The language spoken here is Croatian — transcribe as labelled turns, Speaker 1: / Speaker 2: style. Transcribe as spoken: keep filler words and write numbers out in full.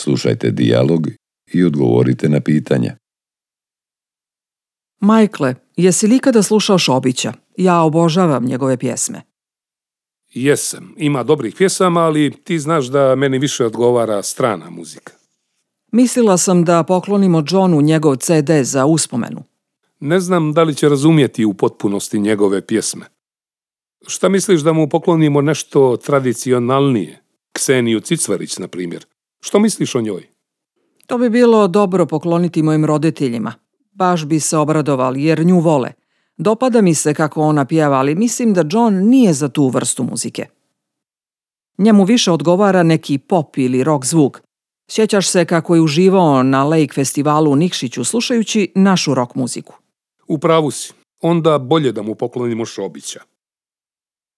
Speaker 1: Slušajte dijalog i odgovorite na pitanja.
Speaker 2: Michael, jesi li ikada slušao Šobića? Ja obožavam njegove pjesme.
Speaker 3: Jesam, ima dobrih pjesama, ali ti znaš da meni više odgovara strana muzika.
Speaker 2: Mislila sam da poklonimo Johnu njegov ce de za uspomenu.
Speaker 3: Ne znam da li će razumjeti u potpunosti njegove pjesme. Šta misliš da mu poklonimo nešto tradicionalnije? Kseniju Cicvarić, na primjer. Što misliš o njoj?
Speaker 2: To bi bilo dobro pokloniti mojim roditeljima. Baš bi se obradovali jer nju vole. Dopada mi se kako ona pjeva, ali mislim da John nije za tu vrstu muzike. Njemu više odgovara neki pop ili rock zvuk. Sjećaš se kako je uživao na Lake festivalu u Nikšiću slušajući našu rock muziku.
Speaker 3: U pravu si. Onda bolje da mu poklonimo Šobića.